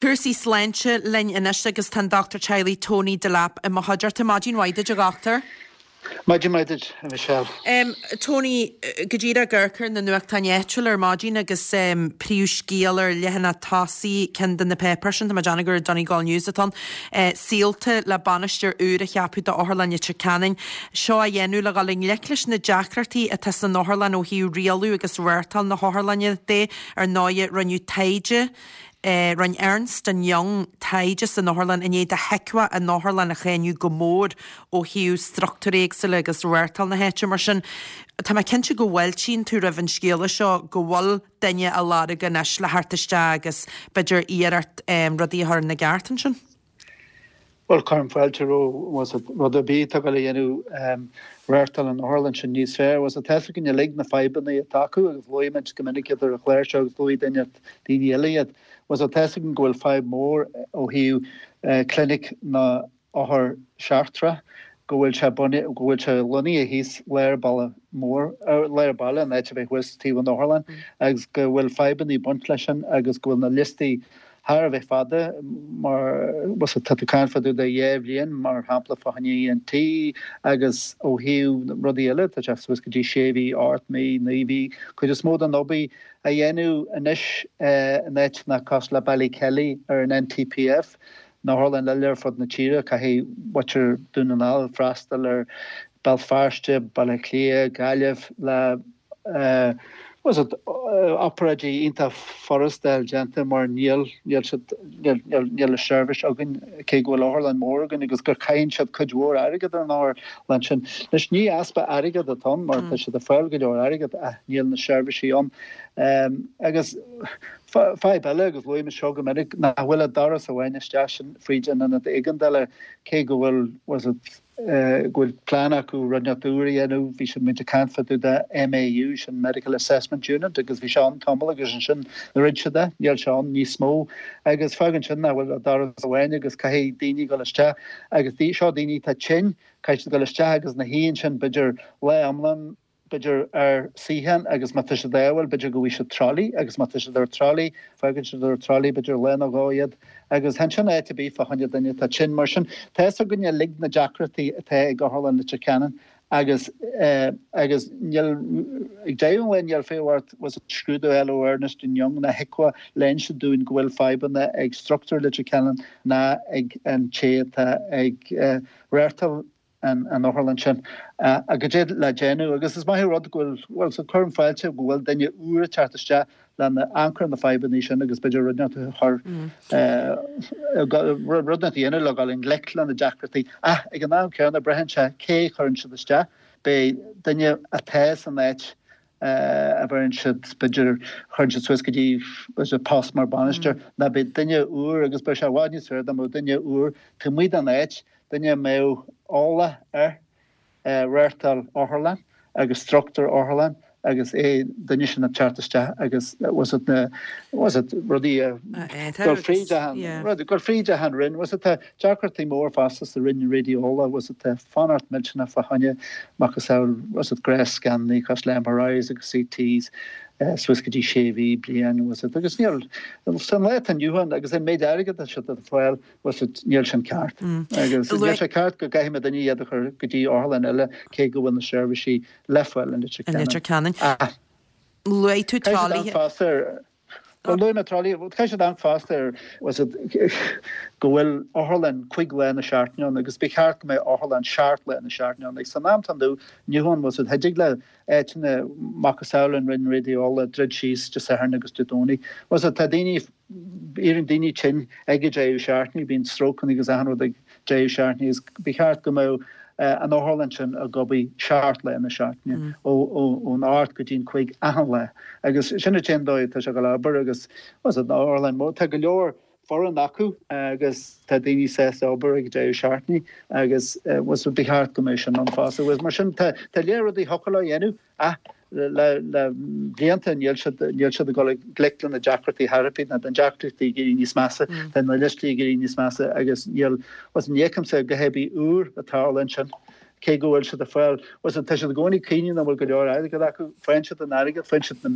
Cúrsaí sláinte linn anois agus tá an Dochtúir Teaghlaigh Tony Delap i mo chuideachta. Maidin mhaith duit, a dhochtúir. Maidin mhaith duit, a Michelle. Tony, go díreach ag amharc ar na nuachtáin áitiúla ar maidin agus príomhscéal ar leathanach tosaigh ceann de na páipéir sin, tá mé ag déanamh gur an Donegal News atá ann, Saolta le bainisteoir úr a cheapadh d'Otharlann Leitir Ceanainn. Seo á dhéanamh le dhul i ngleic leis na deacrachtaí atá san otharlann ó thaobh rialú agus reáchtáil na hotharlainne de. Ar ndóighe, rinneadh taighde. Rinne Ernst and Young taighde san otharlann i ndiaidh do HIQA an otharlann a cháineadh go mór ó thaobh struchtúir éagsúla agus reáchtáil na háite. Mar sin, tá mé cinnte go bhfáiltíonn tú roimh an scéala seo go bhfuil duine á lorg anois le theacht isteach agus b'fhéidir iarracht rudaí a chur ina gceart ansin. Bhuel, cuirim fáilte roimh rud ar bith atá ag dul a dhéanamh reáchtáil an otharlann sin níos fearr. Bhuel, tá fhios againn uilig na fadhbanna atá acu agus luaigh muid go minic iad ar an chlár seo agus luaigh duine, daoine eile iad. Bhuel, tá fhios againn go bhfuil fadhb mhór ó thaobh clinic na othar seachtrach, go bhfuil sé bunaithe, go bhfuil sé lonnaithe thíos lár baile mór, lár baile, an áit a bheith thuas taobh an otharlann agus go bhfuil fadhbanna ag baint leis sin agus go bhfuil na liostaí thar a bheith fada, mar tá tú ag caint fá dtaobh de dhá bhliain, mar shampla, fá choinne ENT agus ó thaobh rudaí eile, tá sé suas go dtí sé mhí, ocht mí, naoi mhí. Cuid is mó den obair á dhéanamh anois in áiteanna cosúil le Ballykelly ar an NTPF, na hotharlann eile ar fud na tíre, caithfidh muintir Dún na nGall freastal ar Béal Feirste, Baile Átha Cliath, Gaillimh le obráidí iontach furasta a fháil déanta mar níl, níl siad, níl, níl, níl an seirbhís againn cé go bhfuil otharlann mór againn agus gur caitheann siad cuid mhór airgead ar an otharlann sin. Anois ní easpa airgead atá ann mar tá siad ag fáil go leor airgead ach níl na seirbhísí ann. Agus fadhb eile agus luaigh mé seo go minic nach bhfuil ach doras amháin isteach sin fríd an ionad éigeandála cé go bhfuil was it go bhfuil plean acu rud inteacht úr a dhéanamh. Bhí siad muid ag caint fá dtaobh de MAU, sin Medical Assessment Unit, agus bhí sé ann tamall agus ansin dhruid siad é, níl sé ann níos mó. Agus fágann sin nach bhfuil ach doras amháin agus caithfidh daoine dul isteach agus seo daoine atá tinn, caithfidh siad dul isteach agus ina shuí ansin b'fhéidir lá iomlán, b'fhéidir ar suíochán agus má tá siad ádhúil b'fhéidir go bhfaighidh siad trolley agus má tá siad ar trolley fágann siad ar trolley b'fhéidir lá nó dhó iad agus chan sin áit ar bith fá choinne duine atá tinn. Mar sin tá fhios againn uilig na deacrachtaí atá ag Otharlann Leitir Ceanainn agus agus níl ag deireadh an lae níl fiú ort was it scrúdú eile ó Ernest and Young ná HIQA le inse dúinn go bhfuil fadhbanna ag struchtúr Leitir Ceanainn ná ag an té atá ag reáchtáil an otharlann sin agus goidé le déanamh agus is maith an rud go bhfuil, bhuel, so cuirim fáilte go bhfuil duine úr ag teacht isteach lena amharc ar na fadhbanna sin agus b'fhéidir rud inteacht a chur, rud inteacht a dhéanamh le dhul i ngleic le na deacrachtaí. Ach ag an am céanna braitheann sé cé a chuireann siad isteach, beidh duine atá san áit a bheireann siad, b'fhéidir, chuireann siad suas go dtí b'fhéidir post mar bainisteoir, ná beidh duine úr agus beidh sé i bhfad níos fearr dá mbeadh duine úr taobh amuigh den áit, duine a mbeadh eolas ar reáchtáil otharlann agus struchtúr otharlann agus é duine sin ag teacht isteach agus was it na was it rudaí a dul fríd achan rud dul fríd achan roinn was it tá deacrachtaí mór fosta sa roinn raidióla was it tá fanacht millteanach fá choinne macasamhail was it gnáth-scananna cosúil le MRIs agus CTs suas go dtí sé mhí, bliain, was it agus níl san lá atá inniu ann agus an méid airgead atá siad ag fáil was it níl sin ceart agus níl sé ceart go gcaithfidh daoine iad a chur go dtí otharlann eile cé go bhfuil na seirbhísí le fáil in Leitir Ceanainn. Luaigh tú tralaithe. Bhuel, luaigh mé tralaithe, caithfidh siad amharc fosta ar, was it, go bhfuil otharlann cuig lá na seachtaine ann agus ba cheart go mbeadh otharlann seacht lá na seachtaine ann. Agus san am atá inniu ann, was it, thig le áiteanna macasamhail an Roinn Raidióla druid síos Dé Sathairn agus Dé Domhnaigh. Was it, tá daoine, éiríonn daoine tinn ag an deireadh seachtaine, bíonn strócanna agus achan rud ag deireadh seachtaine agus ba cheart go mbeadh an otharlann sin ag obair seacht lá na seachtaine, ón ocht go dtí an cuig achan lá. Agus sin an t-aon dóigh atá sé ag dul a obair agus was it, an otharlann mór, tá go leor foireann acu agus tá daoine sásta obair ag deireadh seachtaine agus was it, ba cheart go mbeadh sin ann fosta. Agus mar sin tá léar rudaí thiocfadh leo a dhéanamh ach le blianta níl siad níl siad ag dul i ngleic le na deacrachtaí thar ar bith, ná na deacrachtaí ag éirí níos measa, tá na liostaí ag éirí níos measa agus níl, was ní fheicimse a dhath ar bith úr ag tarlú ansin. Cé go bhfuil siad ag fáil, bhfuil fhios agat, tá siad i gcónaí ag caoineadh nach bhfuil go leor airgead acu, faigheann siad an airgead, faigheann siad na,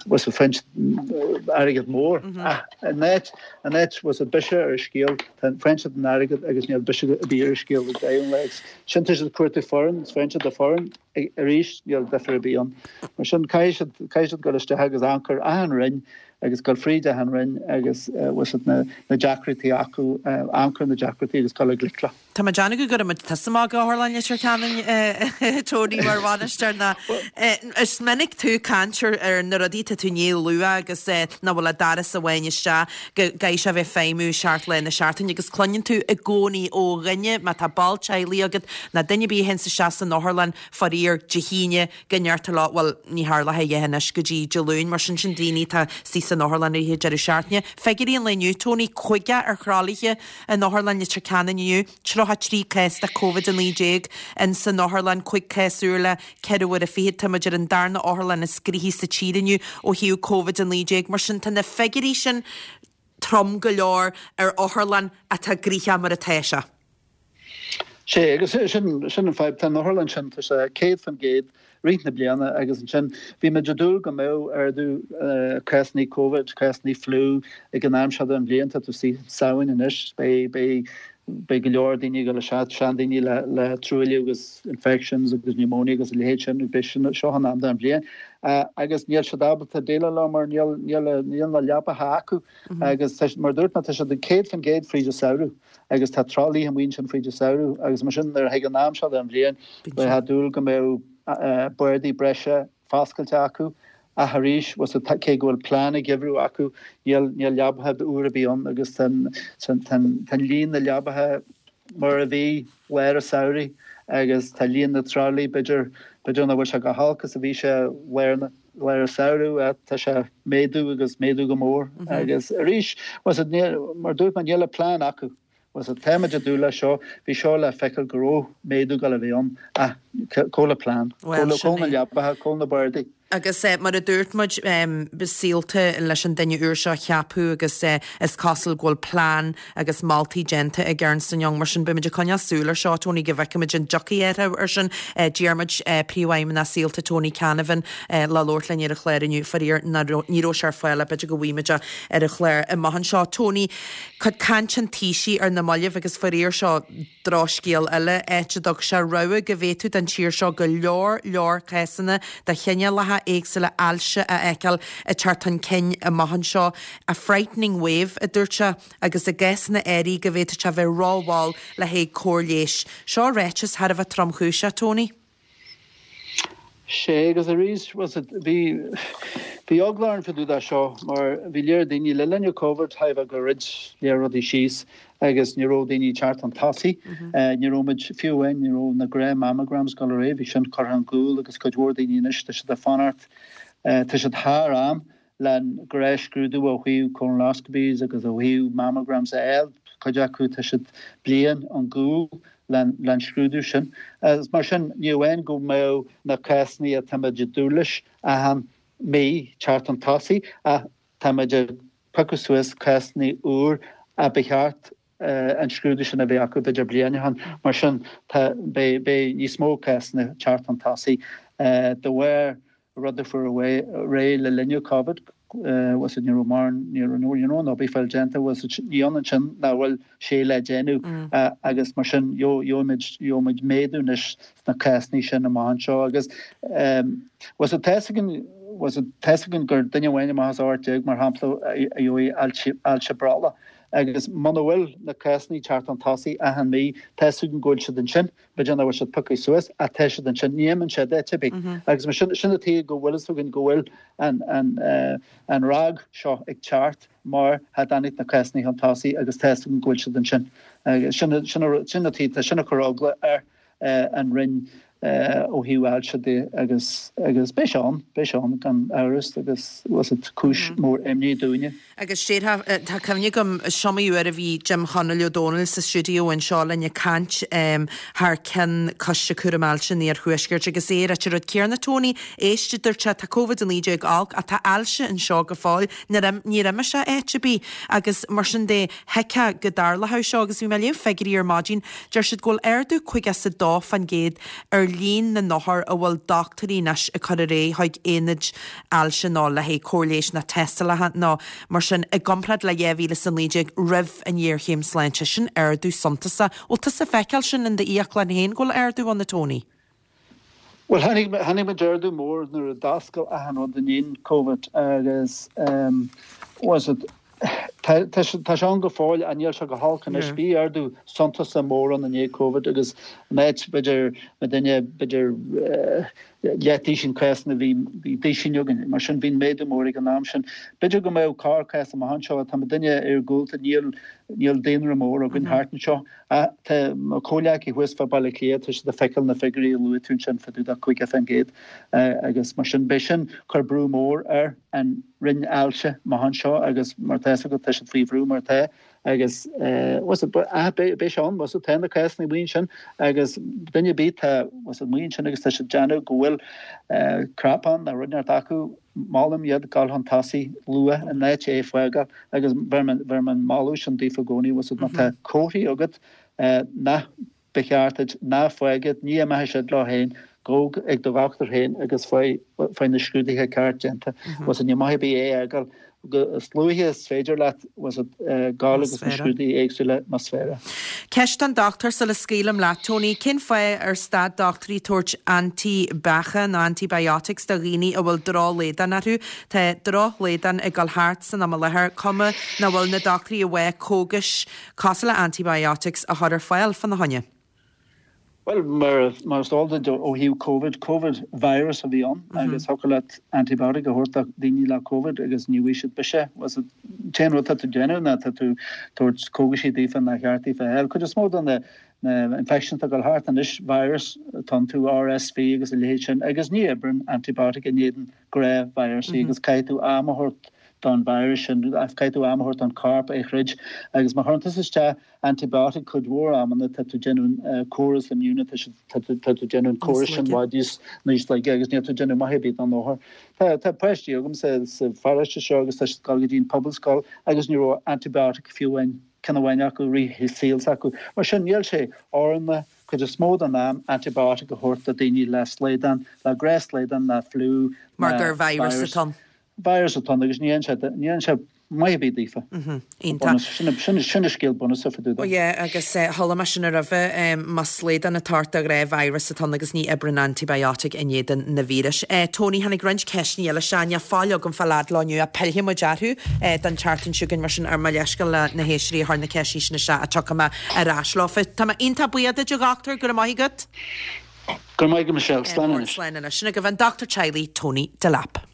bhfuil fhios agat, faigheann siad airgead mór. Ach in áit, in áit, bhfuil fhios agat, biseach ar an scéal, tá, faigheann siad an airgead agus níl biseach ar bith ar an scéal ag deireadh an lae. Agus sin tá siad ag cuartú foireann, is faigheann siad an foireann arís, níl difear ar bith ann. Mar sin, caithfidh siad, caithfidh siad dul isteach agus amharc ar achan roinn agus dul fríd achan roinn agus, bhfuil fhios agat, na, na deacrachtaí acu, amharc ar na deacrachtaí agus dul i ngleic leo. Tá mé ag déanamh go gcuirfidh muid tusa amach go Otharlann Leitir Ceanainn, Tony, mar bhainisteoir ná is minic tú ag caint ar na rudaí atá tú i ndiaidh a lua agus nach bhfuil ach doras amháin isteach, go gcaithfidh sé a bheith ag feidhmiú seacht lá na seachtaine agus cluineann tú i gcónaí ó dhuine, má tá ball teaghlaigh agat ná duine ar bith a théanns isteach san otharlann, faraor, Dé hAoine, go ndeirtear leo, bhuel, ní tharlóidh a dhath anois go dtí Dé Luain, mar sin, sin daoine atá istigh san otharlann i rith an deireadh seachtaine. Figiúirí an lae inniu, Tony, 50 ar thralaithe in Otharlann Leitir Ceanainn inniu, 33 cás de Covid-19 in san otharlann, 5 cás úr le ceithre huaire fichead. Tá muid ar an darna otharlann is gnoithí sa tír inniu ó thaobh Covid-19. Mar sin, tá na figiúirí sin trom go leor ar otharlann atá gnoitheach mar atá sé. Sé, agus sin, sin an fadhb, tá an otharlann sin, tá sé 100% rith na bliana agus ansin bhí muid ag dúil go mbeadh ardú cásanna Covid, cásanna fliú ag an am seo den bhliain, tá tú istigh Samhain anois, beidh, beidh, beidh go leor daoine ag dul isteach, seandaoine le, le truailliú agus infections agus pneumonia agus a leithéid sin, beidh sin, seo an am den bhliain. Agus níl siad ábalta déileáil leo mar níl, níl, níl na leapacha acu agus tá, mar a dúirt mé, tá siad ag 100% fríd an samhradh. agus tá tralaithe amuigh ansin fríd an samhradh agus mar sin nuair a thig an am seo den bhliain bheifeá ag dúil go mbeadh bardaí breise foscailte acu ach arís bhfuil fhios agat cé go bhfuil plean an gheimhridh acu níl níl leabacha úr ar bith ann agus tá tá líon na leabacha mar a bhí lár an samhraidh agus tá líon na tralaí b'fhéidir b'fhéidir nach bhfuil sé chomh holc is a bhí sé lár na lár an samhradh tá sé ag méadú agus méadú go mór agus arís bhfuil fhios agat mar dúirt mé níl a plean acu bhfuil fhios agat táimid ag dúil leis seo bhí seo le feiceáil go raibh méadú ag dul a bheith ann ach cá bhfuil an plean cá bhfuil na leapacha cá bhfuil na bardaí. Agus mar a dúirt muid Saolta leis an duine úr seo a cheapadh agus is cosúil go bhfuil plean agus moltaí déanta ag Ernst and Young. Mar sin, beimid ag coinneáil súil ar seo, Tony, go bhfeicfimid an dtiocfaidh athrú air sin. D'iarr muid Príomhfheidhmeannach Saolta, Tony Canavan, le labhairt linn ar an chlár inniu. Faraor, ní raibh sé ar fáil ach b'fhéidir go bhfaighimid é ar an chlár amach anseo. Tony, cuid cainte an Taoisigh ar na mallaibh agus faraor seo drochscéal eile, áit a dtug sé rabhadh go bhféadfadh don tír seo go leor leor cásanna de chineálacha éagsúla ailse a fheiceáil ag teacht chun cinn amach anseo. A frightening wave, a dúirt sé. agus i gcásanna áirithe go bhféadfadh sé a bheith rómhall le haghaidh cóir leighis. Seo ráiteas thar a bheith tromchúiseach, Tony. Sé, agus arís, bhfuil fhios agat, bhí, bhí eagla orainn fá dtaobh de seo mar bhí léir daoine, le linn an Covid, thaobh gur dhruid léir rudaí síos agus ní raibh daoine ag teacht chun tosaigh, ní raibh muid, fiú amháin, ní raibh na gnáth mammograms ag dul ar aghaidh, bhí sin curtha ar gcúl agus cuid mhór daoine anois, tá siad ag fanacht, tá siad thar am. le gnáthscrúdú ó thaobh colonoscopies agus ó thaobh mammograms a fháil, cuid acu tá siad bliain ón gcúl len scrúdú sin. Agus mar sin, ní amháin go mbeadh na cásanna atáimid ag dúil leis achan mí teacht chun tosaigh ach táimid ag piocadh suas cásanna úr a ba cheart an scrúdú sin a bheith acu b'fhéidir bliain ó shin. Mar sin, tá, beidh, beidh níos mó cásanna teacht chun tosaigh de bharr rud a fuair réidh le linn Covid, bhfuil fhios agat, ní raibh mórán, ní raibh, ní raibh an obair fáil déanta, bhfuil fhios agat, ní ionann sin nach bhfuil sé le déanamh agus mar sin gheobhaimid, gheobhaimid méadú anois sna cásanna sin amach anseo agus bhfuil fhios agat, tá fhios againn, bhfuil fhios agat, tá fhios againn gur duine amháin amach as 18 mar shampla a gheobhaidh ailse brollaigh agus muna bhfuil na cásanna teacht chun tosaigh achan mí, tá fhios againn go bhfuil siad ansin. B'fhéidir nach bhfuil siad pioctha suas ach tá siad ansin, ní imíonn siad áit ar bith. Agus mar sin, sin an tuige go bhfuil fhios againn go bhfuil an, an, an ráig seo ag teacht mar tá dtáinig na cásanna chun tosaigh agus tá fhios againn go bhfuil siad ansin. Agus sin, sin, sin an tuige, tá sin ag cur eagla ar an Roinn. ó thaobh ailse de agus agus beidh sé ann, beidh sé ann gan amhras agus bhfuil fhios agat cúis mór imní dúinne. Agus déarfá, tá cuimhne agam, is iomaí uair a bhí Jim Chonaill Ó Dónaill sa stiúideo anseo linn ag caint thar ceann Coiste Cúraim Ailse an Iarthuaiscirt agus é ag ráit an rud céanna, Tony, éist, a dúirt sé, tá Covid-19 olc ach tá ailse anseo go fóill, níor imigh sé áit ar bith agus mar sin de, Thuigfeá go dtarlódh seo agus bhí mé ag léamh figiúirí ar maidin, deir siad go bhfuil ardú 52% ar líon na n-othar a bhfuil dochtúirí anois ag cur ar aghaidh chuig aonaid ailse nó le haghaidh cóir leighis nó tástálacha nó mar sin i gcomparáid le 2019 roimh an ghéarchéim sláinte. Sin ardú suntasach. Bhfuil tusa ag feiceáil sin in d'fhiaclann féin go bhfuil ardú ann a Tony? Bhuel, tháinig, tháinig muid ardú mór nuair a d'oscail achan rud i ndiaidh Covid agus was it, tá, tá sé, tá sé ann go fóill ach níl sé go holc anois. Bhí ardú suntasach mór ann i ndiaidh Covid agus in áit b'fhéidir muidinne b'fhéidir leath-duisín cásanna bhí, bhí duisín againn. Mar sin bhí an méadú mór ag an am sin. B'fhéidir go mbeadh corr cás amach anseo, tá muidinne iargúlta, níl, níl daonra mór againn thart anseo. Ach tá mo chomhghleacaithe thuas fá Baile Átha Cliath, tá siad ag feiceáil na figiúirí a luaigh tú ansin fá dtaobh de 50% agus mar sin beidh sin cur brú mór ar an Roinn Ailse amach anseo agus mar tá fhios agat tá siad faoi bhrú mar atá agus bhfuil fhios agat beidh sé ann bhfuil fhios agat tá na cásanna amuigh ansin agus duine ar bith tá bhfuil fhios agat amuigh ansin agus tá siad ag déanamh go bhfuil cnap ann nó rud inteacht acu Molaim iad dul chun tosaigh luath in áit é fágáil agus bheir mé an moladh sin daofa i gcónaí, bhfuil fhios agat má tá comharthaí agat nach ba cheart duit, ná fág iad, ní imeoidh siad leo féin, gabh ag do dhochtúir féin agus faigh na scrúduithe ceart déanta. Bhfuil fhios agat ní maith ar bith é a fhágáil is luaithe is féidir leat, bhfuil fhios agat, gabháil agus na scrúduithe éagsúla más féidir. Ceist don dochtúir sula scaoilim leat, Tony. Cén fáth ar stad dochtúirí tabhairt antaibheacha nó antibiotics do dhaoine a bhfuil drochshlaghdán orthu? Tá drochshlaghdán ag dul thart san am i láthair, cuma nach bhfuil na dochtúirí i bhfách cógais cosúil le antibiotics a chur ar fáil fána choinne? Bhuel, mar mar is eol duit ó thaobh Covid, Covid virus a bhí ann agus thiocfadh leat antibiotic a thabhairt do dhaoine le Covid agus ní bhfuigh siad biseach. Bhfuil fhios agat, an t-aon rud atá tú ag déanamh ná tá tú ag tabhairt cógaisí daofa nár cheart daofa a fháil. Cuid is mó de na na infections atá ag dul thart anois, virus atá iontu, RSV agus a leithéid sin, agus ní oibreann antibiotic in éadan gnáth virusaí agus caithfidh tú am a thabhairt don virus sin, caithfidh tú am a thabhairt don chorp é a throid agus má chuireann tusa isteach antibiotic cuid mhór amanna tá tú ag déanamh córas immune tá tú tá tú ag déanamh an córas sin i bhfad níos níos laige agus níl tú ag déanamh maith ar bith don othar. Tá tá páistí agam sa sa pharóiste seo agus tá siad ag dul go dtí an pobalscoil agus ní raibh antibiotic fiú amháin ceann amháin acu i rith an saol s'acu. Mar sin níl sé oiriúnach cuid is mó den am antibiotic a thabhairt do daoine le slaghdán, le gnáthshlaghdán, le fliú, Mar gur virus atá ann. Virus atá ann agus ní dhéanann sé ní dhéanann sé maith ar bith daofa. Iontach. Sin sin an scéal bunúsach fá dtaobh de. Ó yeah agus chuala mé sin roimhe, más slaghdán atá ort de ghnáth virus atá ann agus ní oibreann antibiotic in éadan na víris. Tony, tháinig roinnt ceisteanna eile isteach, níl fáil agam fáil fhad leo inniu ach pillfidh muid orthu don tseachtain seo chugainn mar sin ar mo leithscéal le na héisteoirí a chuir na ceisteanna sin isteach ach tiocfaidh mé ar ais leo. Tá mé iontach buíoch duit a dhochtúir, go raibh maith agat. Go raibh maith agat Michelle, slán anois. Slán anois. Sin agaibh an dochtúir teaghlaigh Tony Delap.